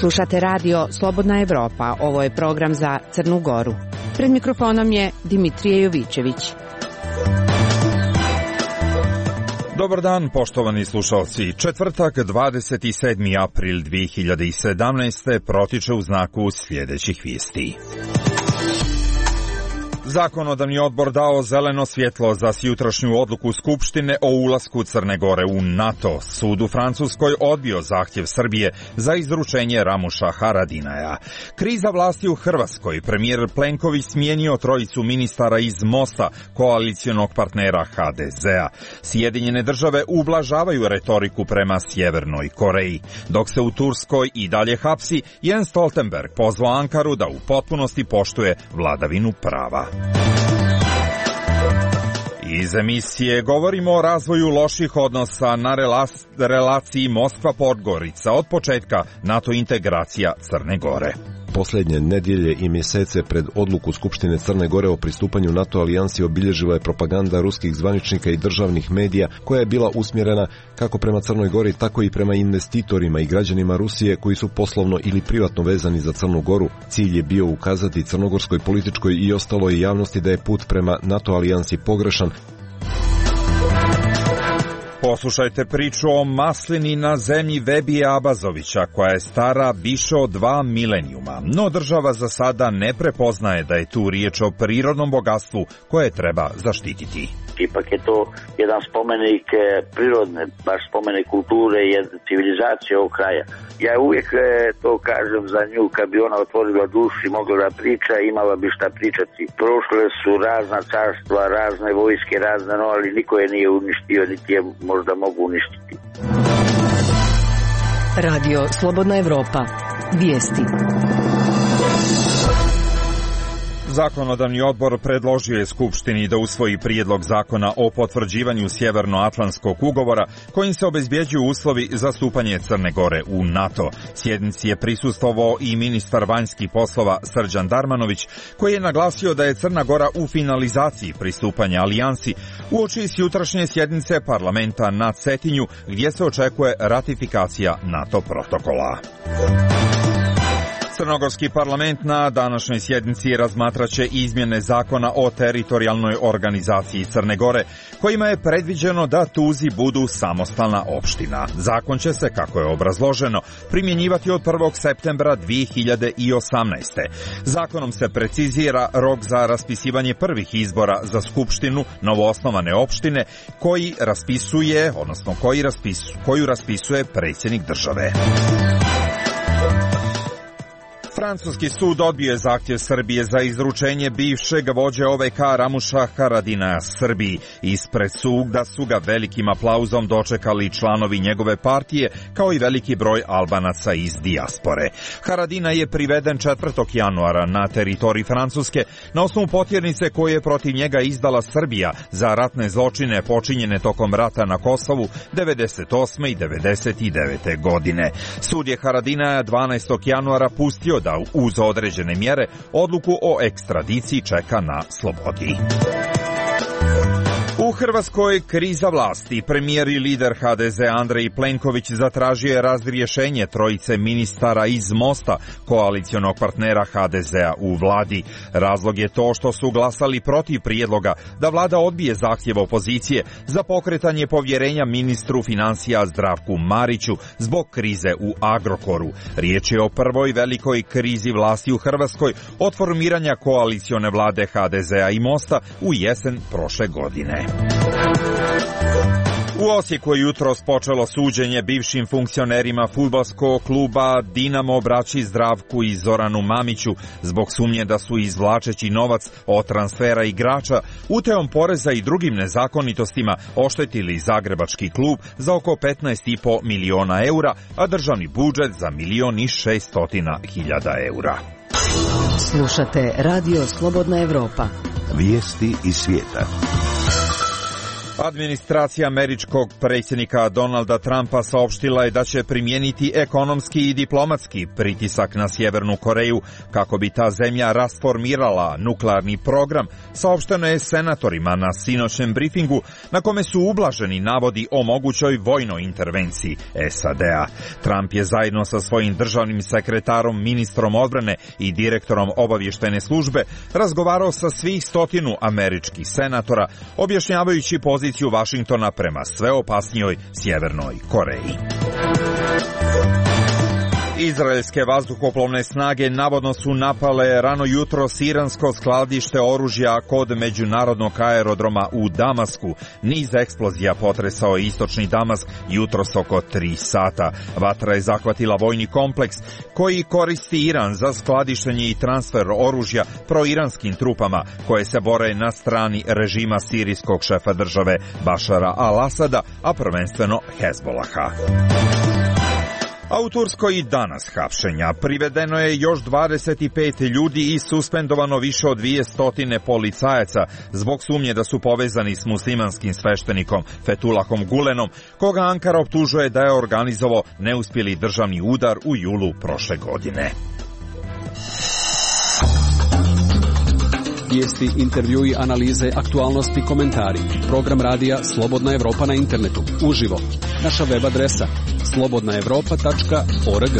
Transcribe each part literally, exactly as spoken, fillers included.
Slušate radio Slobodna Evropa, ovo je program za Crnu Goru. Pred mikrofonom je Dimitrije Jovićević. Dobar dan, poštovani slušalci. Četvrtak, dvadeset sedmi april dve hiljade sedamnaeste. protiče u znaku sljedećih vijesti. Zakonodavni odbor dao zeleno svjetlo za sjutrašnju odluku Skupštine o ulasku Crne Gore u NATO. Sud u Francuskoj odbio zahtjev Srbije za izručenje Ramuša Haradinaja. Kriza vlasti u Hrvatskoj. Premijer Plenković smijenio trojicu ministara iz Mosta, koalicionog partnera ha de zea. Sjedinjene države ublažavaju retoriku prema Sjevernoj Koreji. Dok se u Turskoj i dalje hapsi, Jens Stoltenberg pozvao Ankaru da u potpunosti poštuje vladavinu prava. Iz emisije govorimo o razvoju loših odnosa na relaciji Moskva-Podgorica od početka NATO integracija Crne Gore. Posljednje nedjelje i mjesece pred odluku Skupštine Crne Gore o pristupanju NATO alijansi obilježila je propaganda ruskih zvaničnika i državnih medija koja je bila usmjerena kako prema Crnoj Gori, tako i prema investitorima i građanima Rusije koji su poslovno ili privatno vezani za Crnu Goru. Cilj je bio ukazati crnogorskoj političkoj i ostaloj javnosti da je put prema NATO alijansi pogrešan. Poslušajte priču o maslini na zemlji Vebije Abazovića, koja je stara više od dva milenijuma, no država za sada ne prepoznaje da je tu riječ o prirodnom bogatstvu koje treba zaštititi. Ipak je to jedan spomenik prirodne, baš spomenik kulture i civilizacije ovog kraja. Ja uvijek to kažem za nju, kad bi ona otvorila dušu i mogla da priča, imala bi šta pričati. Prošle su razna carstva, razne vojske, razne, no, ali niko je nije uništio, niti je možda mogu uništiti. Radio Slobodna Evropa. Vijesti. Zakonodavni odbor predložio je Skupštini da usvoji prijedlog zakona o potvrđivanju Sjevernoatlantskog ugovora kojim se obezbjeđuju uslovi za stupanje Crne Gore u NATO. Sjednici je prisustvovao i ministar vanjskih poslova Srđan Darmanović, koji je naglasio da je Crna Gora u finalizaciji pristupanja alijansi uoči jutrašnje sjednice parlamenta na Cetinju, gdje se očekuje ratifikacija NATO protokola. Crnogorski parlament na današnjoj sjednici razmatraće izmjene zakona o teritorijalnoj organizaciji Crne Gore, kojima je predviđeno da Tuzi budu samostalna opština. Zakon će se, kako je obrazloženo, primjenjivati od prvog septembra dve hiljade osamnaeste. Zakonom se precizira rok za raspisivanje prvih izbora za skupštinu novoosnovane opštine, koji raspisuje, odnosno koji raspisu, koju raspisuje predsjednik države. Francuski sud odbio je zahtjev Srbije za izručenje bivšeg vođe O V K Ramuša Haradinaja Srbiji. Ispred suda su ga velikim aplauzom dočekali članovi njegove partije, kao i veliki broj Albanaca iz dijaspore. Haradina je priveden četvrtog januara na teritoriji Francuske na osnovu potjernice koje je protiv njega izdala Srbija za ratne zločine počinjene tokom rata na Kosovu devedeset osme i devedeset devete. godine. Sud je Haradinaja dvanaestog januara pustio da uz određene mjere odluku o ekstradiciji čeka na slobodi. U Hrvatskoj kriza vlasti. Premijer i lider ha de zea Andrej Plenković zatražio je razrješenje trojice ministara iz Mosta, koalicionog partnera ha de zea u vladi. Razlog je to što su glasali protiv prijedloga da vlada odbije zahtjev opozicije za pokretanje povjerenja ministru financija Zdravku Mariću zbog krize u Agrokoru. Riječ je o prvoj velikoj krizi vlasti u Hrvatskoj od formiranja koalicione vlade ha de zea i Mosta u jesen prošle godine. U Osijeku je jutros počelo suđenje bivšim funkcionerima fudbalskog kluba Dinamo braći Zdravku i Zoranu Mamiću zbog sumnje da su izvlačeći novac od transfera igrača, utajom poreza i drugim nezakonitostima oštetili zagrebački klub za oko petnaest i po miliona eura, a državni budžet za milion i šeststotina hiljada eura. Slušate Radio Slobodna Evropa. Vijesti iz svijeta. Administracija američkog predsjednika Donalda Trumpa saopštila je da će primijeniti ekonomski i diplomatski pritisak na Sjevernu Koreju kako bi ta zemlja rasformirala nuklearni program, saopšteno je senatorima na sinoćnem brifingu na kome su ublaženi navodi o mogućoj vojnoj intervenciji S A D-a. Trump je zajedno sa svojim državnim sekretarom, ministrom odbrane i direktorom obavještajne službe razgovarao sa svih stotinu američkih senatora, objašnjavajući poziciju Vašingtona prema sve opasnijoj Sjevernoj Koreji. Izraelske vazduhoplovne snage navodno su napale rano jutros iransko skladište oružja kod međunarodnog aerodroma u Damasku. Niz eksplozija potresao je istočni Damask jutros oko tri sata. Vatra je zahvatila vojni kompleks koji koristi Iran za skladištenje i transfer oružja proiranskim trupama koje se bore na strani režima sirijskog šefa države Bašara al-Asada, a prvenstveno Hezbolaha. A u Turskoj i danas hapšenja. Privedeno je još dvadeset pet ljudi i suspendovano više od dvije stotine policajaca zbog sumnje da su povezani s muslimanskim sveštenikom Fethulahom Gulenom, koga Ankara optužuje da je organizovao neuspjeli državni udar u julu prošle godine. Vijesti, intervjui, analize, aktualnosti, komentari. Program radija Slobodna Evropa na internetu. Uživo. Naša web adresa slobodna evropa tačka org.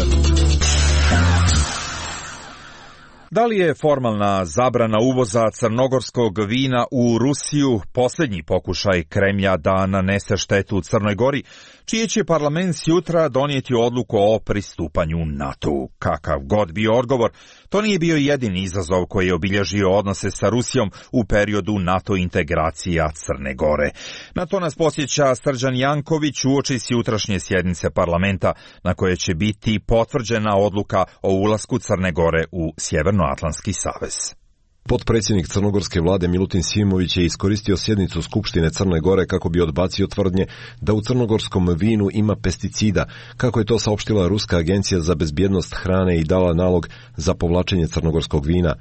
Da li je formalna zabrana uvoza crnogorskog vina u Rusiju posljednji pokušaj Kremlja da nanese štetu Crnoj Gori, čiji će parlament sutra donijeti odluku o pristupanju NATO-u? Kakav god bio odgovor, to nije bio jedini izazov koji je obilježio odnose sa Rusijom u periodu NATO integracija Crne Gore. Na to nas podsjeća Srđan Janković uoči sutrašnje sjednice parlamenta na koje će biti potvrđena odluka o ulasku Crne Gore u Sjevernoatlantski savez. Potpredsjednik crnogorske vlade Milutin Simović je iskoristio sjednicu Skupštine Crne Gore kako bi odbacio tvrdnje da u crnogorskom vinu ima pesticida, kako je to saopštila Ruska agencija za bezbjednost hrane i dala nalog za povlačenje crnogorskog vina.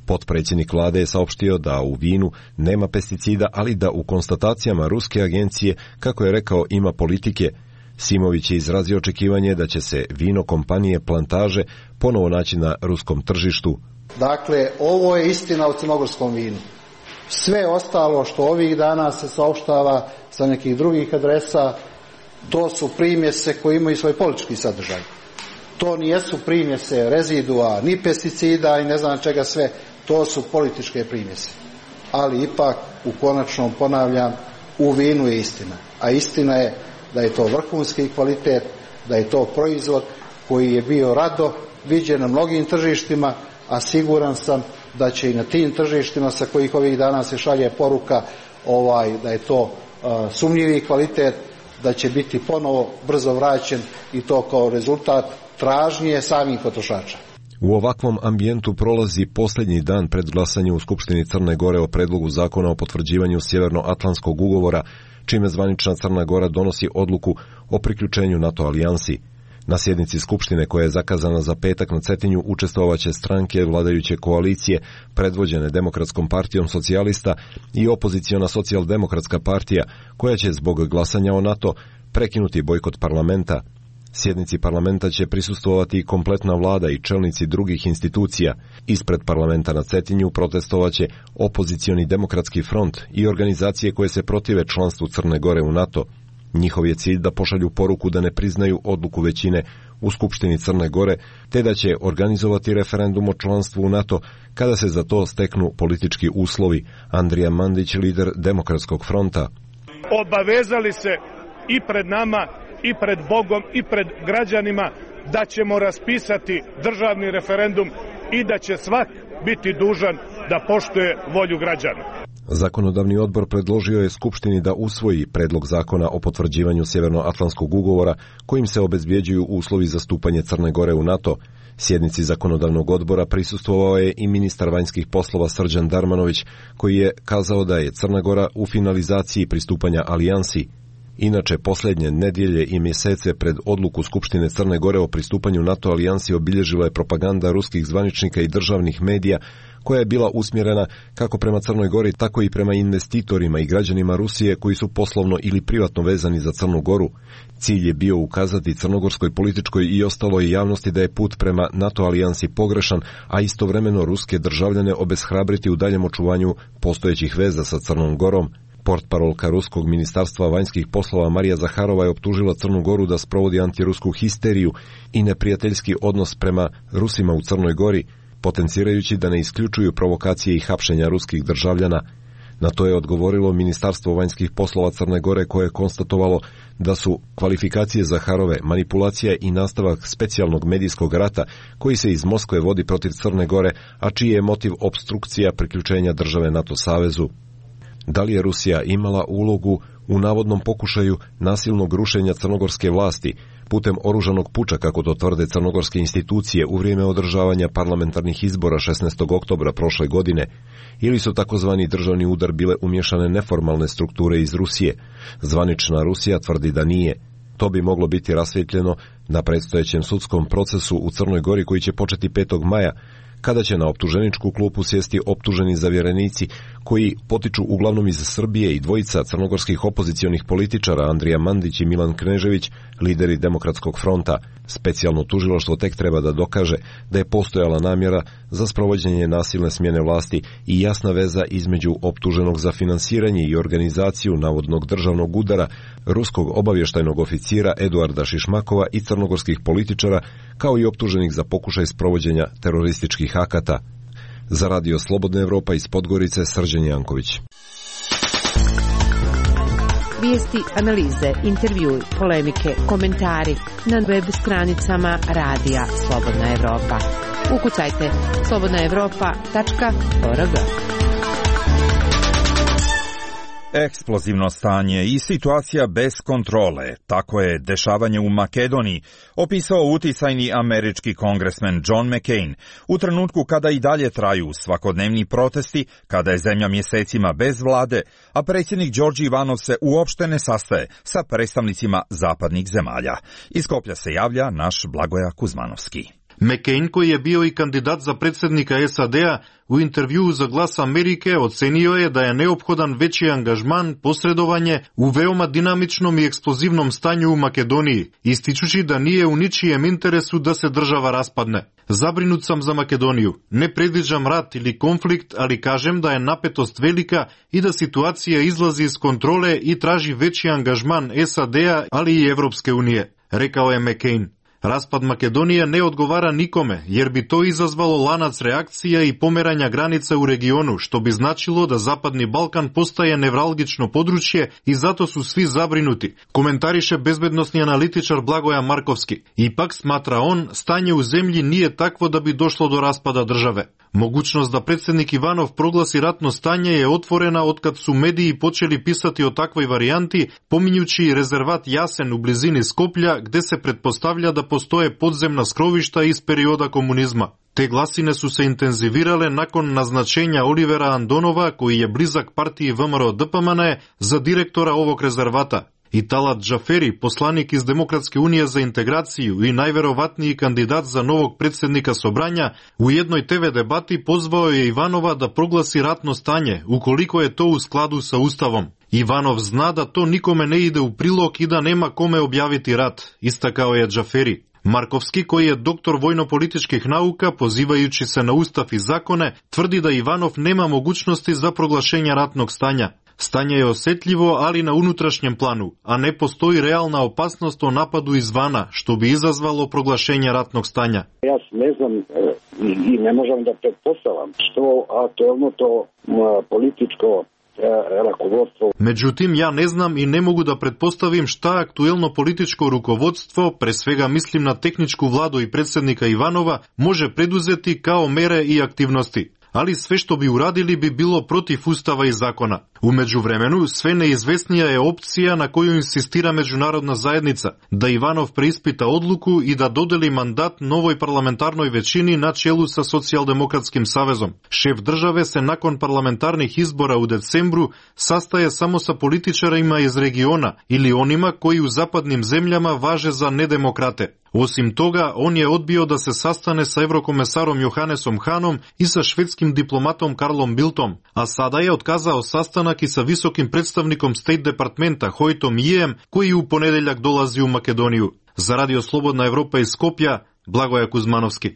Potpredsjednik vlade je saopštio da u vinu nema pesticida, ali da u konstatacijama Ruske agencije, kako je rekao, ima politike. Simović je izrazio očekivanje da će se vino kompanije Plantaže ponovo naći na ruskom tržištu. Dakle, ovo je istina o crnogorskom vinu. Sve ostalo što ovih dana se saopštava sa nekih drugih adresa, to su primjese koje imaju svoj politički sadržaj. To nijesu primjese rezidua, ni pesticida i ne znam čega sve, to su političke primjese. Ali ipak, u konačnom, ponavljam, u vinu je istina. A istina je da je to vrhunski kvalitet, da je to proizvod koji je bio rado viđen na mnogim tržištima, a siguran sam da će i na tim tržištima sa kojih ovih dana se šalje poruka ovaj, da je to uh, sumnjivi kvalitet, da će biti ponovo brzo vraćen i to kao rezultat tražnje samih potrošača. U ovakvom ambijentu prolazi posljednji dan pred glasanje u Skupštini Crne Gore o predlogu zakona o potvrđivanju Sjevernoatlantskog ugovora, čime zvanična Crna Gora donosi odluku o priključenju NATO alijansi. Na sjednici Skupštine koja je zakazana za petak na Cetinju učestvovaće stranke vladajuće koalicije predvođene Demokratskom partijom socijalista i opoziciona socijaldemokratska partija koja će zbog glasanja o NATO prekinuti bojkot parlamenta. Sjednici parlamenta će prisustvovati i kompletna vlada i čelnici drugih institucija. Ispred parlamenta na Cetinju protestovaće opozicioni demokratski front i organizacije koje se protive članstvu Crne Gore u NATO. Njihov je cilj da pošalju poruku da ne priznaju odluku većine u Skupštini Crne Gore, te da će organizovati referendum o članstvu u NATO kada se za to steknu politički uslovi. Andrija Mandić, lider Demokratskog fronta. Obavezali se i pred nama, i pred Bogom, i pred građanima da ćemo raspisati državni referendum i da će svak biti dužan da poštuje volju građana. Zakonodavni odbor predložio je Skupštini da usvoji predlog zakona o potvrđivanju Sjevernoatlantskog ugovora kojim se obezbjeđuju uslovi za stupanje Crne Gore u NATO. Sjednici zakonodavnog odbora prisustvovao je i ministar vanjskih poslova Srđan Darmanović, koji je kazao da je Crna Gora u finalizaciji pristupanja alijansi. Inače, posljednje nedjelje i mjesece pred odluku Skupštine Crne Gore o pristupanju NATO alijansi obilježila je propaganda ruskih zvaničnika i državnih medija koja je bila usmjerena kako prema Crnoj Gori, tako i prema investitorima i građanima Rusije koji su poslovno ili privatno vezani za Crnu Goru. Cilj je bio ukazati crnogorskoj političkoj i ostaloj javnosti da je put prema NATO alijansi pogrešan, a istovremeno ruske državljane obeshrabriti u daljem očuvanju postojećih veza sa Crnom Gorom. Portparolka Ruskog ministarstva vanjskih poslova Marija Zaharova je optužila Crnu Goru da sprovodi antirusku histeriju i neprijateljski odnos prema Rusima u Crnoj Gori, potencirajući da ne isključuju provokacije i hapšenja ruskih državljana. Na to je odgovorilo Ministarstvo vanjskih poslova Crne Gore, koje je konstatovalo da su kvalifikacije Zaharove manipulacija i nastavak specijalnog medijskog rata koji se iz Moskve vodi protiv Crne Gore, a čiji je motiv opstrukcija priključenja države NATO savezu. Da li je Rusija imala ulogu u navodnom pokušaju nasilnog rušenja crnogorske vlasti putem oružanog puča, kako to tvrde crnogorske institucije, u vrijeme održavanja parlamentarnih izbora šesnaestog oktobra prošle godine, ili su takozvani državni udar bile umješane neformalne strukture iz Rusije? Zvanična Rusija tvrdi da nije. To bi moglo biti rasvjetljeno na predstojećem sudskom procesu u Crnoj Gori koji će početi petog maja, kada će na optuženičku klupu sjesti optuženi zavjerenici koji potiču uglavnom iz Srbije i dvojica crnogorskih opozicionih političara, Andrija Mandić i Milan Knežević, lideri Demokratskog fronta. Specijalno tužilaštvo tek treba da dokaže da je postojala namjera za sprovođenje nasilne smjene vlasti i jasna veza između optuženog za finansiranje i organizaciju navodnog državnog udara, ruskog obavještajnog oficira Eduarda Šišmakova i crnogorskih političara, kao i optuženih za pokušaj sprovođenja terorističkih akata. Za Radio Slobodna Evropa iz Podgorice, Srđan Janković. Vijesti, analize, intervjui, polemike, komentari na web stranicama Radija Slobodna Evropa. Ukucajte slobodna evropa tačka org. Eksplozivno stanje i situacija bez kontrole, tako je dešavanje u Makedoniji opisao uticajni američki kongresmen John McCain u trenutku kada i dalje traju svakodnevni protesti, kada je zemlja mjesecima bez vlade, a predsjednik Đorđe Ivanov se uopšte ne sastaje sa predstavnicima zapadnih zemalja. Iz Skoplja se javlja naš Blagoja Kuzmanovski. McCain, koji je bio i kandidat za predsjednika S A D-a, u intervjuu za Glas Amerike ocenio je da je neophodan veći angažman, posredovanje u veoma dinamičnom i eksplozivnom stanju u Makedoniji, ističući da nije u ničijem interesu da se država raspadne. Zabrinut sam za Makedoniju. Ne predviđam rat ili konflikt, ali kažem da je napetost velika i da situacija izlazi iz kontrole i traži veći angažman S A D-a, ali i Evropske unije, rekao je McCain. Raspad Makedonije ne odgovara nikome, jer bi to izazvalo lanac reakcija i pomeranja granica u regionu, što bi značilo da Zapadni Balkan postaje nevralgično područje i zato su svi zabrinuti, komentariše bezbednosni analitičar Blagoja Markovski. Ipak, smatra on, stanje u zemlji nije takvo da bi došlo do raspada države. Mogućnost da predsjednik Ivanov proglasi ratno stanje je otvorena otkad su mediji počeli pisati o takvoj varijanti, pominjući rezervat Jasen u blizini Skoplja, gde se pretpostavlja da postoje podzemna skrovišta iz perioda komunizma. Te glasine su se intenzivirale nakon naznačenja Olivera Andonova, koji je blizak partiji V M R O D P M N, za direktora ovog rezervata. I Talat Džaferi, poslanik iz Demokratske unije za integraciju i najverovatniji kandidat za novog predsjednika Sobranja, u jednoj T V debati pozvao je Ivanova da proglasi ratno stanje, ukoliko je to u skladu sa Ustavom. Ivanov zna da to nikome ne ide u prilog i da nema kome objaviti rat, istakao je Džaferi. Markovski, koji je doktor vojno-političkih nauka, pozivajući se na Ustav i zakone, tvrdi da Ivanov nema mogućnosti za proglašenje ratnog stanja. Stanje je osjetljivo, ali na unutrašnjem planu, a ne postoji realna opasnost o napadu izvana, što bi izazvalo proglašenje ratnog stanja. Ja ne znam i ne možem da pretpostavljam što aktualno to političko rukovodstvo. Međutim, ja ne znam i ne mogu da pretpostavim šta aktuelno političko rukovodstvo, pre svega mislim na tehničku vladu i predsjednika Ivanova, može preduzeti kao mere i aktivnosti. ali sve što bi uradili bi bilo protiv ustava i zakona. U međuvremenu, sve neizvesnija je opcija na koju insistira međunarodna zajednica, da Ivanov preispita odluku i da dodeli mandat novoj parlamentarnoj većini na čelu sa Socijaldemokratskim savezom. Šef države se nakon parlamentarnih izbora u decembru sastaje samo sa političarima iz regiona ili onima koji u zapadnim zemljama važe za nedemokrate. Osim toga, on je odbio da se sastane sa evrokomesarom Johannesom Hanom i sa švedskim diplomatom Karlom Bildtom, a sada je otkazao sastanak i sa visokim predstavnikom State Departmenta Hojtom Ijem, koji u ponedeljak dolazi u Makedoniju. Za Radio Slobodna Evropa iz Skopja, Blagoje Kuzmanovski.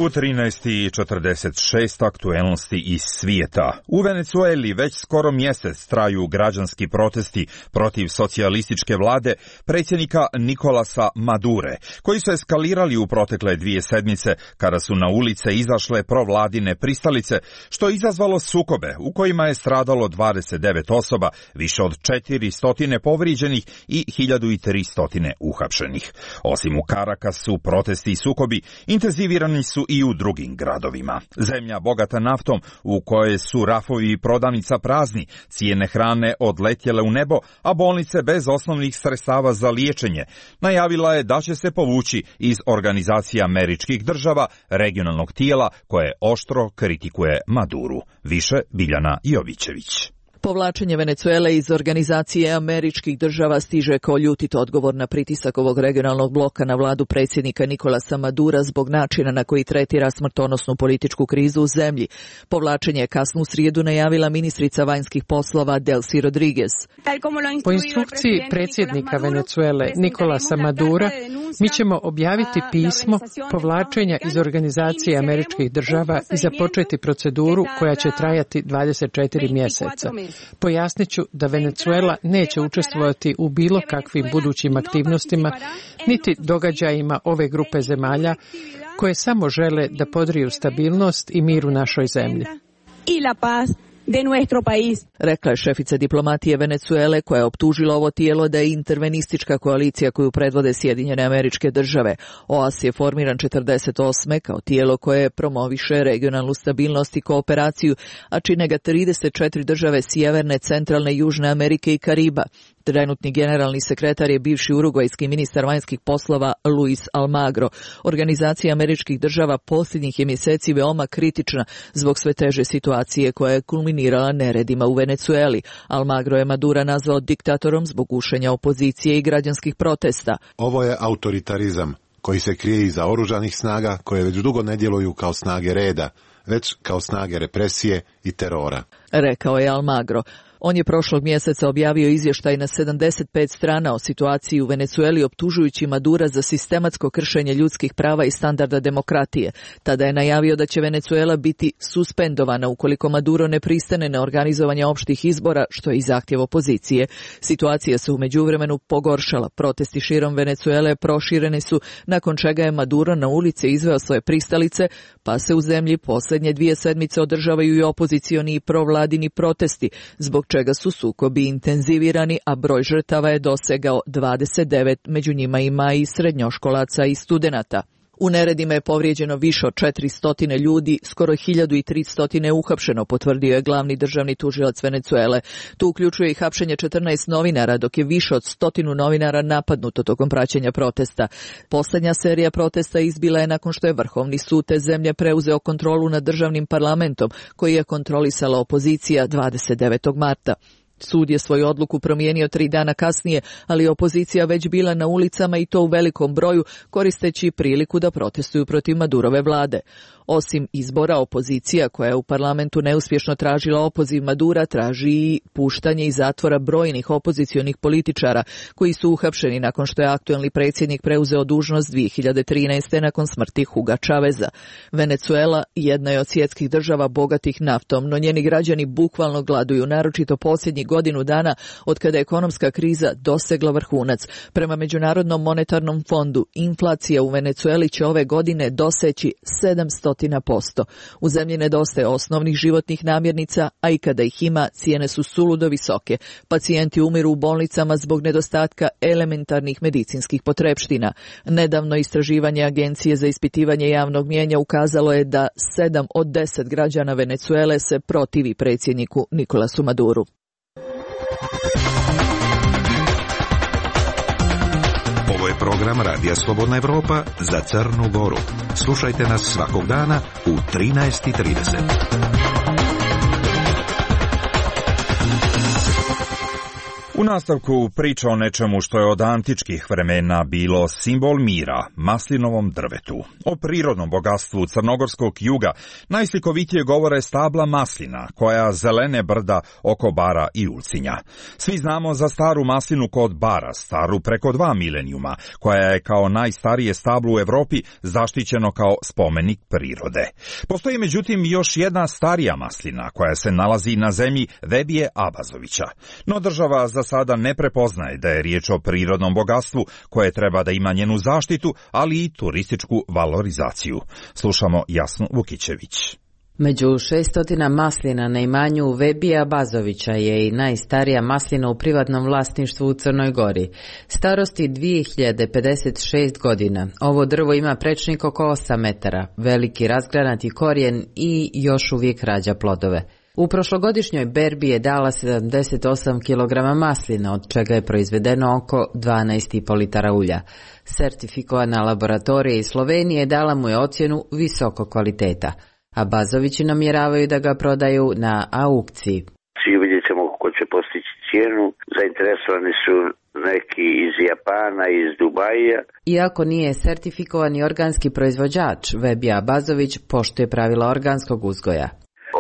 U trinaest i četrdeset šest aktuelnosti iz svijeta. U Venecueli već skoro mjesec traju građanski protesti protiv socijalističke vlade predsjednika Nikolasa Madure, koji su eskalirali u protekle dvije sedmice kada su na ulice izašle provladine pristalice, što je izazvalo sukobe u kojima je stradalo dvadeset devet osoba, više od četiristo povrijeđenih i hiljadu tristo uhapšenih. Osim u Karakasu, protesti i sukobi intenzivirani su i u drugim gradovima. Zemlja bogata naftom, u kojoj su rafovi i prodavnica prazni, cijene hrane odletjele u nebo, a bolnice bez osnovnih sredstava za liječenje, najavila je da će se povući iz Organizacije američkih država, regionalnog tijela koje oštro kritikuje Maduru. Više Biljana Jovićević. Povlačenje Venecuele iz Organizacije američkih država stiže kao ljutit odgovor na pritisak ovog regionalnog bloka na vladu predsjednika Nikolasa Madura zbog načina na koji tretira smrtonosnu političku krizu u zemlji. Povlačenje je kasnu srijedu najavila ministrica vanjskih poslova Delcy Rodriguez. Po instrukciji predsjednika Venecuele Nikolasa Madura, mi ćemo objaviti pismo povlačenja iz Organizacije američkih država i započeti proceduru koja će trajati dvadeset četiri mjeseca. Pojasnit ću da Venecuela neće učestvovati u bilo kakvim budućim aktivnostima, niti događajima ove grupe zemalja koje samo žele da podriju stabilnost i mir u našoj zemlji. De nuestro país. Rekla je šefica diplomatije Venecuele, koja je optužila ovo tijelo da je intervenistička koalicija koju predvode Sjedinjene Američke Države. O A S je formiran četrdeset osme kao tijelo koje promoviše regionalnu stabilnost i kooperaciju, a čine ga trideset četiri države Sjeverne, Centralne, Južne Amerike i Kariba. Trenutni generalni sekretar je bivši urugvajski ministar vanjskih poslova Luis Almagro. Organizacija američkih država posljednjih je mjeseci veoma kritična zbog sve teže situacije koja je kulminirala neredima u Venecueli. Almagro je Madura nazvao diktatorom zbog gušenja opozicije i građanskih protesta. Ovo je autoritarizam koji se krije iza oružanih snaga koje već dugo ne djeluju kao snage reda, već kao snage represije i terora, rekao je Almagro. On je prošlog mjeseca objavio izvještaj na sedamdeset pet strana o situaciji u Venecueli, optužujući Madura za sistematsko kršenje ljudskih prava i standarda demokratije. Tada je najavio da će Venecuela biti suspendovana ukoliko Maduro ne pristane na organizovanje opštih izbora, što je i zahtjev opozicije. Situacija se u međuvremenu pogoršala. Protesti širom Venecuele prošireni su, nakon čega je Maduro na ulice izveo svoje pristalice, pa se u zemlji posljednje dvije sedmice održavaju i opozicioni i provladini protesti, zbog čega su sukobi intenzivirani, a broj žrtava je dosegao dvadeset devet, među njima ima i srednjoškolaca i studenata. U neredima je povrijeđeno više od četiristo ljudi, skoro hiljadu tristo je uhapšeno, potvrdio je glavni državni tužilac Venecuele. Tu uključuje i hapšenje četrnaest novinara, dok je više od stotinu novinara napadnuto tokom praćenja protesta. Posljednja serija protesta izbila je nakon što je Vrhovni sud te zemlje preuzeo kontrolu nad državnim parlamentom, koji je kontrolisala opozicija dvadeset devetog marta. Sud je svoju odluku promijenio tri dana kasnije, ali opozicija već bila na ulicama i to u velikom broju, koristeći priliku da protestuju protiv Madurove vlade. Osim izbora, opozicija koja je u parlamentu neuspješno tražila opoziv Madura traži i puštanje iz zatvora brojnih opozicionih političara koji su uhapšeni nakon što je aktuelni predsjednik preuzeo dužnost dvije hiljade trinaeste. nakon smrti Huga Chaveza. Venecuela jedna je od svjetskih država bogatih naftom, no njeni građani bukvalno gladuju, naročito posljednjih godinu dana od kada je ekonomska kriza dosegla vrhunac. Prema Međunarodnom monetarnom fondu, inflacija u Venecueli će ove godine doseći sedamsto posto. U zemlji nedostaje osnovnih životnih namirnica, a i kada ih ima, cijene su suludo visoke. Pacijenti umiru u bolnicama zbog nedostatka elementarnih medicinskih potrepština. Nedavno istraživanje Agencije za ispitivanje javnog mnijenja ukazalo je da sedam od deset građana Venecuele se protivi predsjedniku Nikolasu Maduru. Ovo je program Radija Slobodna Evropa za Crnu Goru. Slušajte nas svakog dana u trinaest i trideset. U nastavku priča o nečemu što je od antičkih vremena bilo simbol mira, maslinovom drvetu. O prirodnom bogatstvu crnogorskog juga najslikovitije govore stabla maslina, koja zelene brda oko Bara i Ulcinja. Svi znamo za staru maslinu kod Bara, staru preko dva milenijuma, koja je kao najstarije stablo u Evropi zaštićeno kao spomenik prirode. Postoji međutim još jedna starija maslina koja se nalazi na zemlji Vebije Abazovića. No država za sada ne prepoznaje da je riječ o prirodnom bogatstvu koje treba da ima njenu zaštitu, ali i turističku valorizaciju. Slušamo Jasnu Vukićević. Među šeststotina maslina na imanju Vebija Bazovića je i najstarija maslina u privatnom vlasništvu u Crnoj Gori. Starosti dvije hiljade pedeset šest godina. Ovo drvo ima prečnik oko osam metara, veliki razgranati korijen i još uvijek rađa plodove. U prošlogodišnjoj berbi je dala sedamdeset osam kilograma maslina, od čega je proizvedeno oko dvanaest i po litara ulja. Sertifikovana laboratorija iz Slovenije dala mu je ocjenu visoko kvaliteta, a Bazovići namjeravaju da ga prodaju na aukciji. Svi vidjet ćemo ko će postići cijenu, zainteresovani su neki iz Japana, iz Dubaja. Iako nije sertifikovani organski proizvođač, Vebija Bazović poštuje pravila organskog uzgoja.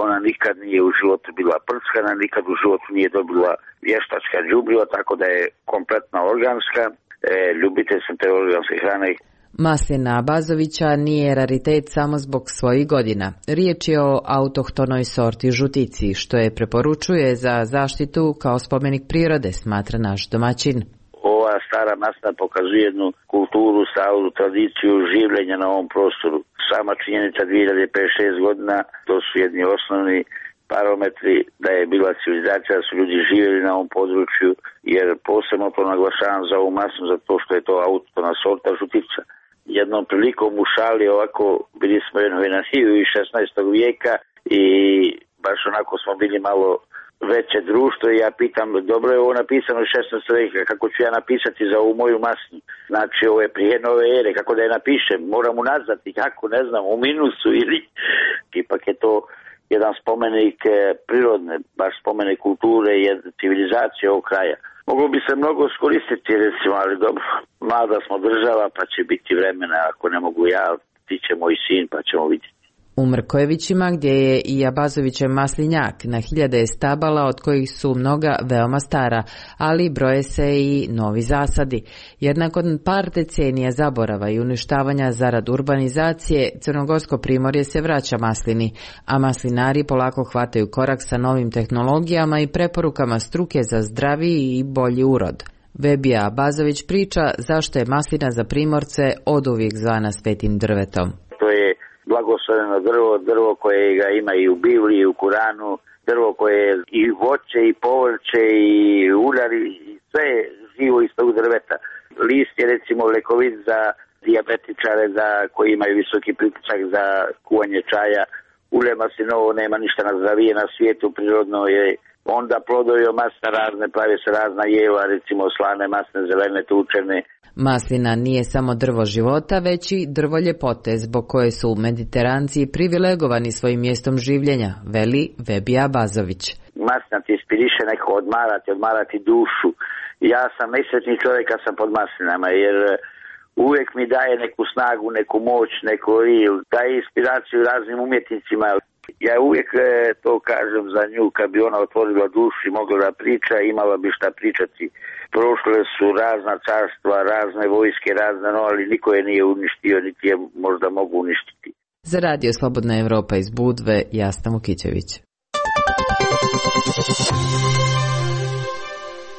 Ona nikad nije u životu bila prskana, nikad u životu nije dobila vještačka đubriva, tako da je kompletno organska. E, ljubitelj sam te organske hrane. Maslina Bazovića nije raritet samo zbog svojih godina. Riječ je o autohtonoj sorti žutici, što je preporučuje za zaštitu kao spomenik prirode, smatra naš domaćin. Ova stara maslina pokazuje jednu kulturu, stalu tradiciju življenja na ovom prostoru. Sama činjenica dvije hiljade pedeset šest godina, to su jedni osnovni parametri da je bila civilizacija, da su ljudi živjeli na ovom području, jer posebno to naglašavam za ovu maslinu, zato što je to autohtona sorta žutica. Jednom prilikom u šali ovako bili smo jedno venaniju iz šesnaestog vijeka i baš onako smo bili malo veće društvo i ja pitam, dobro je ovo napisano u šesnaestog vijeka, kako ću ja napisati za ovu moju maslinu? Znači ovo je prije nove ere, kako da je napišem, moram unazvati, kako, ne znam, u minusu ili... Ipak je to jedan spomenik prirodne, baš spomenik kulture i civilizacije ovog kraja. Moglo bi se mnogo skoristiti, recimo, ali dobro, mlada smo država, pa će biti vremena, ako ne mogu ja, ti će moj sin, pa ćemo vidjeti. U Mrkojevićima, gdje je i Abazovićev maslinjak, na hiljade je stabala, od kojih su mnoga veoma stara, ali broje se i novi zasadi. Jer nakon par decenija zaborava i uništavanja zarad urbanizacije, Crnogorsko primorje se vraća maslini, a maslinari polako hvataju korak sa novim tehnologijama i preporukama struke za zdraviji i bolji urod. Vebija Abazović priča zašto je maslina za primorce oduvijek zvana svetim drvetom. To je blagosloveno drvo, drvo koje ga ima i u Bibliji, i u Kuranu, drvo koje je i voće, i povrće, i uljari, i sve je živo iz tog drveta. List je recimo lekovit za dijabetičare, za koji imaju visoki pritisak za kuvanje čaja. Ulje maslinovo nema ništa nazdravije na svijetu, prirodno je. Onda plodovi masne razne, pravi se razna jela, recimo slane masne, zelene, tučene. Maslina nije samo drvo života, već i drvo ljepote, zbog koje su mediteranci privilegovani svojim mjestom življenja, veli Vebija Bazović. Maslina ti inspiriše neko odmarati, odmarati dušu. Ja sam najsretniji čovjek kad sam pod maslinama, jer uvijek mi daje neku snagu, neku moć, neku ril, daje inspiraciju raznim umjetnicima. Ja uvijek to kažem za nju, kad bi ona otvorila dušu i mogla da priča, imala bi šta pričati. Prošle su razna carstva, razne vojske, razne, no, ali niko je nije uništio, niti je možda mogu uništiti. Za Radio Slobodna Evropa iz Budve, Jasna Vukićević.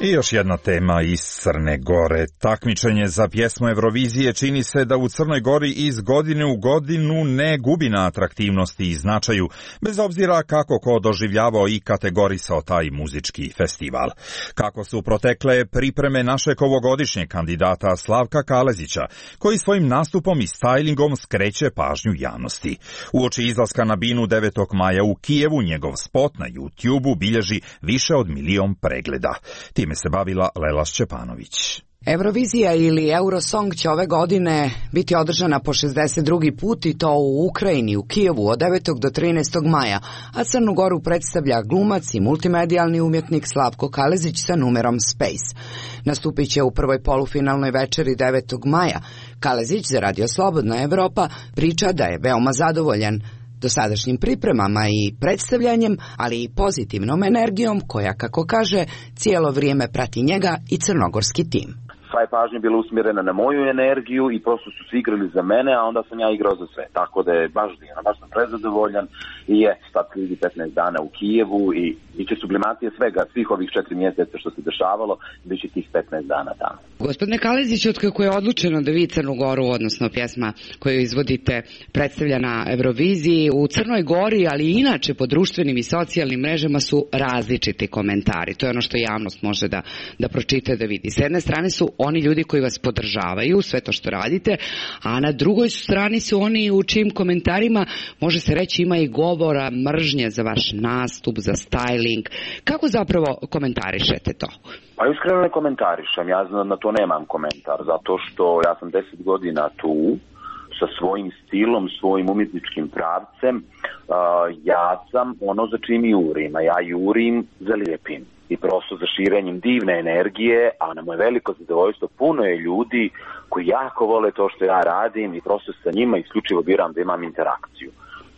I još jedna tema iz Crne Gore. Takmičenje za pjesmu Eurovizije čini se da u Crnoj Gori iz godine u godinu ne gubi na atraktivnosti i značaju, bez obzira kako ko doživljavao i kategorisao taj muzički festival. Kako su protekle pripreme našeg ovogodišnjeg kandidata Slavka Kalezića, koji svojim nastupom i stajlingom skreće pažnju javnosti. Uoči izlaska na binu devetog maja u Kijevu, njegov spot na YouTubeu bilježi više od milion pregleda. Time se bavila Lela Šćepanović. Eurovizija ili Eurosong će ove godine biti održana po šezdeset drugi put i to u Ukrajini, u Kijevu od devetog do trinaestog maja, a Crnu Goru predstavlja glumac i multimedijalni umjetnik Slavko Kalezić sa numerom Space. Nastupit će u prvoj polufinalnoj večeri devetog maja. Kalezić za Radio Slobodna Evropa priča da je veoma zadovoljan dosadašnjim pripremama i predstavljanjem, ali i pozitivnom energijom koja, kako kaže, cijelo vrijeme prati njega i crnogorski tim. Sva je pažnja bila usmjerena na moju energiju i prosto su svi igrali za mene, a onda sam ja igrao za sve. Tako da je baš divno, baš sam prezadovoljan i je, sad slijedi petnaest dana u Kijevu i bit će sublimacija svega, svih ovih četiri mjeseca što se dešavalo, bit će tih petnaest dana tamo. Gospodine Kalezić, otkako je odlučeno da vi Crnu Goru, odnosno pjesma koju izvodite, predstavlja na Euroviziji, u Crnoj Gori, ali i inače po društvenim i socijalnim mrežama su različiti komentari. To je ono što javnost može da, da pročita, da vidi. S jedne strane su oni ljudi koji vas podržavaju, sve to što radite, a na drugoj strani su oni u čijim komentarima, može se reći, ima i govora mržnje za vaš nastup, za styling. Kako zapravo komentarišete to? Pa iskreno ne komentarišem, ja na to nemam komentar, zato što ja sam deset godina tu, sa svojim stilom, svojim umjetničkim pravcem, uh, ja sam ono za čim jurim, a ja jurim za lijepim i prosto za širenjem divne energije, a na moje veliko zadovoljstvo puno je ljudi koji jako vole to što ja radim i prosto sa njima isključivo biram da imam interakciju.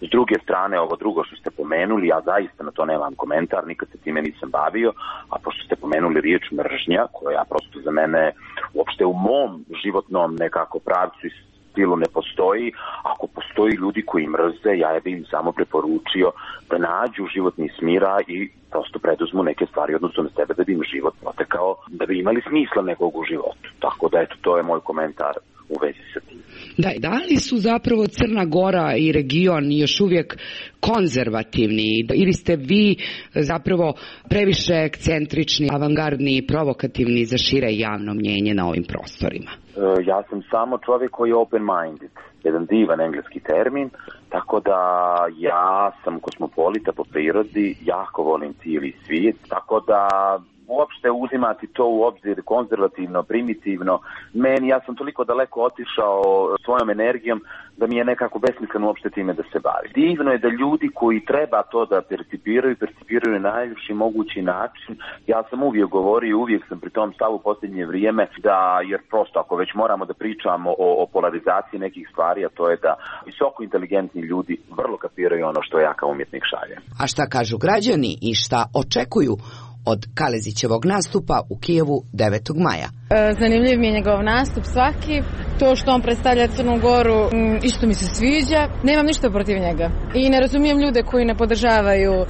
S druge strane, ovo drugo što ste pomenuli, ja zaista na to nemam komentar, nikad se time nisam bavio, a pošto ste pomenuli riječ mržnja, koja prosto za mene uopšte u mom životnom nekako pravcu i stilu ne postoji, ako postoji ljudi koji mrze, ja bi im samo preporučio da nađu životni smira i prosto preduzmu neke stvari odnosno na sebe da bi im život protekao, da bi imali smisla nekog u životu. Tako da eto, to je moj komentar u vezi sa tim. Da, da li su zapravo Crna Gora i region još uvijek konzervativni ili ste vi zapravo previše ekscentrični, avangardni i provokativni za šire javno mnjenje na ovim prostorima? Ja sam samo čovjek koji je open-minded, jedan divan engleski termin, tako da ja sam kosmopolita po prirodi, jako volim cijeli svijet, tako da uopšte uzimati to u obzir konzervativno, primitivno, meni, ja sam toliko daleko otišao svojom energijom da mi je nekako besmisleno uopšte time da se bavi. Divno je da ljudi koji treba to da percipiraju, percipiraju na najljepši mogući način. Ja sam uvijek govorio, uvijek sam pri tom stavu u posljednje vrijeme, da, jer prosto ako već moramo da pričamo o, o polarizaciji nekih stvari, a to je da visoko inteligentni ljudi vrlo kapiraju ono što ja kao umjetnik šaljem. A šta kažu građani i šta očekuju od Kalezićevog nastupa u Kijevu devetog maja? Zanimljiv mi je njegov nastup svaki. To što on predstavlja Crnu Goru isto mi se sviđa. Nemam ništa protiv njega. I ne razumijem ljude koji ne podržavaju uh,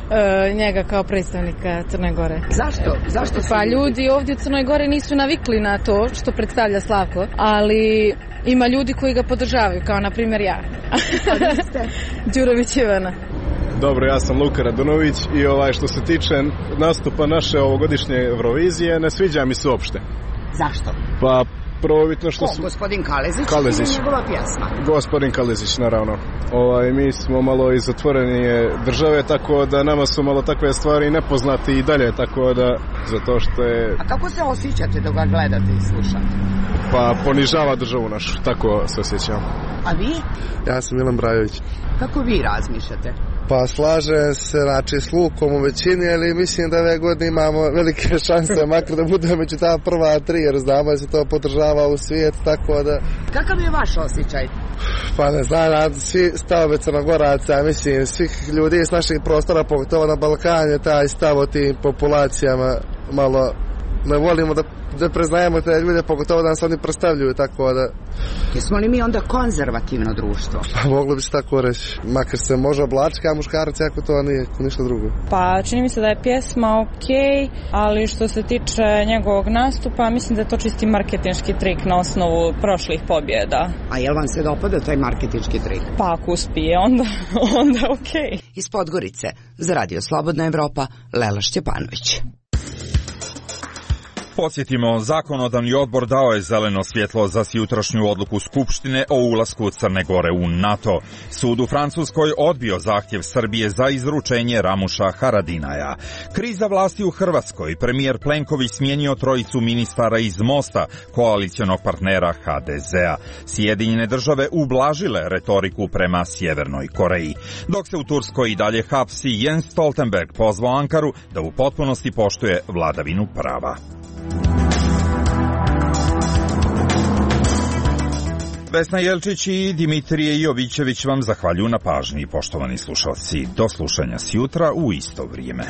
njega kao predstavnika Crne Gore. Zašto? Zašto pa ljudi ovdje u Crnoj Gore nisu navikli na to što predstavlja Slavko, ali ima ljudi koji ga podržavaju, kao na primjer ja. Đurović Ivana. Dobro, ja sam Luka Radunović i ovaj što se tiče nastupa naše ovogodišnje Eurovizije, ne sviđa mi se uopšte. Zašto? Pa prvobitno što su... Gospodin Kalezić, Kalezić ili njegova pjesma? Gospodin Kalezić, naravno. Ovaj, mi smo malo iz otvorenije države, tako da nama su malo takve stvari nepoznati i dalje, tako da zato što je... A kako se osjećate dok ga gledate i slušate? Pa ponižava državu našu, tako se osjećam. A vi? Ja sam Milan Brajović. Kako vi razmišljate? Pa slažem se, znači, s Lukom u većini, ali mislim da ove godine imamo velike šanse, makar da budemo među ta prva tri, jer znamo da se to podržava u svijet, tako da... Kakav je vaš osjećaj? Pa ne znam, svi stavove Crnogoraca, mislim, svih ljudi iz naših prostora, pogotovo na Balkanu, taj stav o tim populacijama malo ne volimo da, da preznajemo te ljude, pogotovo da nas oni predstavljuju, tako da... Jesmo li mi onda konzervativno društvo? Pa moglo bi se tako reći. Makar se može oblačiti kao muškarac, ako to nije ništa drugo. Pa čini mi se da je pjesma okej, ali što se tiče njegovog nastupa, mislim da je to čisti marketinški trik na osnovu prošlih pobjeda. A jel vam se dopada taj marketinški trik? Pa ako uspije, onda, onda okej. Iz Podgorice, za Radio Slobodna Evropa, Lela Šćepanović. Podsjetimo, zakonodavni odbor dao je zeleno svjetlo za jutrašnju odluku Skupštine o ulasku Crne Gore u NATO. Sud u Francuskoj odbio zahtjev Srbije za izručenje Ramuša Haradinaja. Kriza vlasti u Hrvatskoj. Premijer Plenković smijenio trojicu ministara iz Mosta, koalicionog partnera ha de zea. Sjedinjene države ublažile retoriku prema Sjevernoj Koreji. Dok se u Turskoj i dalje hapsi, Jens Stoltenberg pozvao Ankaru da u potpunosti poštuje vladavinu prava. Vesna Jelčić i Dimitrije Jovićević vam zahvaljuju na pažnji, poštovani slušalci. Do slušanja sjutra u isto vrijeme.